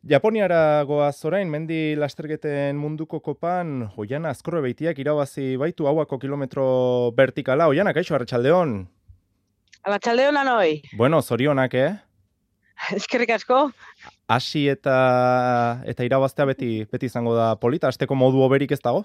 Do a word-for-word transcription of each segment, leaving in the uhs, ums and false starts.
Japoniara goaz orain, mendi lasterketen munduko kopan, Oiana Azkorre Beitiak irabazi baitu hauako kilometro vertikala. Oiana, kaixo, arratsaldeon. Arratsaldeon anoi. Bueno, zorionak, eh? Eskerrik asko. Hasi eta eta irabaztea beti beti izango da polita, hasteko modu hoberik ez dago?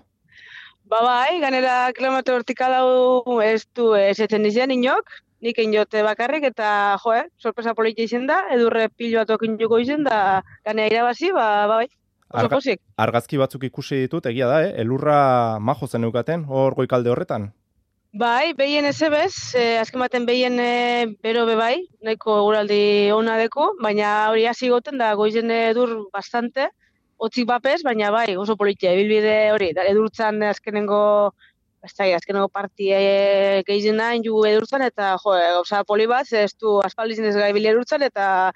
Ba bai, ganera kilometro vertikal hau ez du esetzen dizen inok, nik inote bakarrik eta jo, eh, sorpresa polita izen da, edurre pilo bat okin joko izen da ganea irabazi, ba, ba bai, oso Arga, pozik. argazki batzuk ikusi ditut, egia da, eh? Elurra majo zen eukaten, hor goikalde horretan. Bai, behien ez ebez, eh, azken baten behien eh, bero be bai, nahiko eguraldi ona deko, baina hori hasi goten da goizen edur bastante, otzik bapez, baina bai, oso politia, ibilbide hori, da, edurtzan azkenengo, ez da, azkenengo partie gehizen nahi ju edurtzan, eta jo, gauza poli bat, ez du aspaldizin ez gai bili edurtzan, eta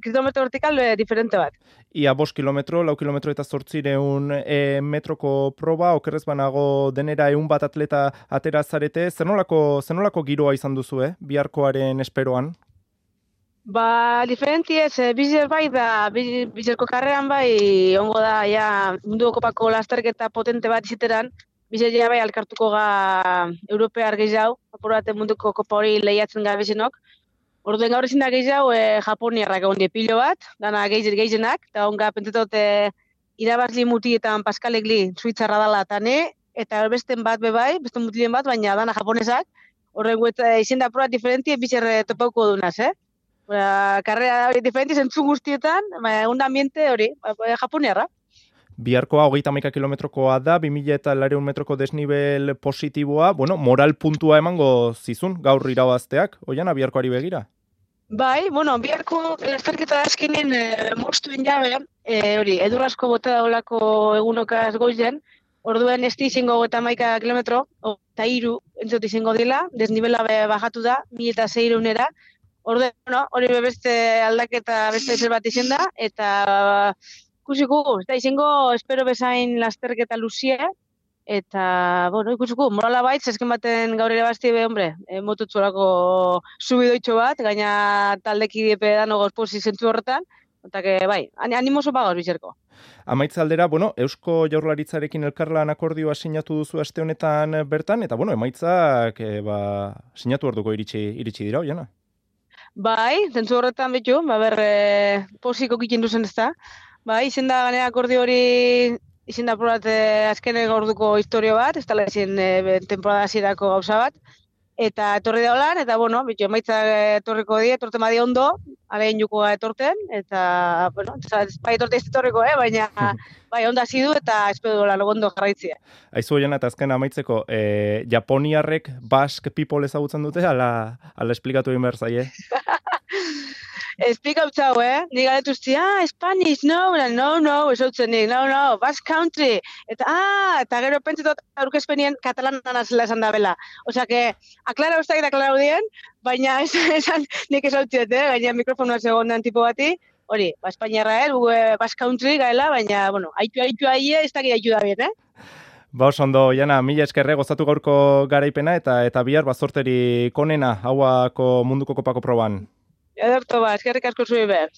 kilometro vertikal eh, diferente bat. Ia bost kilometro, lau kilometro eta zortzireun e, metroko proba, okerrez banago denera eun bat atleta atera zarete, zer nolako, zer nolako giroa izan duzu, eh? Biharkoaren esperoan? Ba, diferenti ez, eh, bizer bai da, bizerko karreran bai, ongo da, ja, mundu kopako lasterketa potente bat iziteran, bizer ja bai alkartuko ga europear gehiago, apurate munduko kopa hori lehiatzen gabezenok. Orduen gaur ezin da gehiago e, japoniarrak egon die pilo bat, dana geizen geizenak, eta onga pentsatot e, irabazli mutietan Paskalek li suitzarra dala tane, eta besten bat bebai, beste mutilien bat, baina dana japonesak, horren gueta izen da probat diferentie bizerre topauko dunaz, eh? Ba, karrera hori diferenti zentzu guztietan, ba, un ambiente hori, ba, japoniarra. Biharkoa hogeita hamaika kilometrokoa da, bi mila eta laurehun metroko desnivel positiboa, bueno, moral puntua emango zizun, gaur irabazteak, Oiana, biharkoari begira? Bai, bueno, biharko lasterketa azkenen e, moztuen jabe, e, hori, edur asko bota daulako egunokaz goizen, orduen ez izango hogeita hamaika kilometro, eta hiru entzot izango dela, desnibela bajatu da, mila eta seiehunera, orduen, bueno, hori beste aldaketa beste zer bat izen da, eta ikusiko, eta izango espero bezain lasterketa luzie, eta, bueno, ikusiko, morala baitz, ezken baten gaur ere basti be, hombre, e, motutzorako subidoitxo bat, gaina taldeki diepe dano gozpozi zentu horretan, eta que, bai, animoso pagauz bizerko. Amaitza aldera, bueno, Eusko Jaurlaritzarekin elkarlan akordioa sinatu duzu aste honetan bertan, eta, bueno, emaitzak, e, ba, sinatu orduko iritsi, iritsi dira, Oiana? Bai, zentzu horretan betu, ba, ber, e, posiko kikin duzen ez da, bai, izen da ganea akordio hori izin da probat eh, azkenen orduko historio bat, ez tala izin eh, temporada hasierako gauza bat, eta etorri da holan, eta bueno, bitu, emaitzak etorriko die, etorten badi ondo, alein juko etorten, eta, bueno, bai etorte ez etorriko, eh, baina bai, onda hasi du eta espero dola ondo jarraitzea. Aizu Oiana, eta azken amaitzeko, eh, Japoniarrek Basque People ezagutzen dute, ala, ala esplikatu egin behar zaie? Explica utzau, eh? Ni galetuzti, ah, Spanish, no, no, no, esautzen nik, no, no, Basque Country. Eta, ah, eta gero pentsetot aurkezpenien katalanan azela esan da bela. Osea, que, aklara ustak eta aklara udien, baina esan, esan nik esautziet, eh? Gaina mikrofonua segondan tipo bati, hori, ba, Espainiarra, eh? Bugue Basque Country gaela, baina, bueno, haitu, haitu, haitu, ez dakit haitu da bien, eh? Ba, oso ondo, Oiana, mila eskerre gozatu gaurko garaipena, eta eta bihar bazorteri konena, hauako munduko kopako proban. Ederto ba, eskerrik asko zui behar.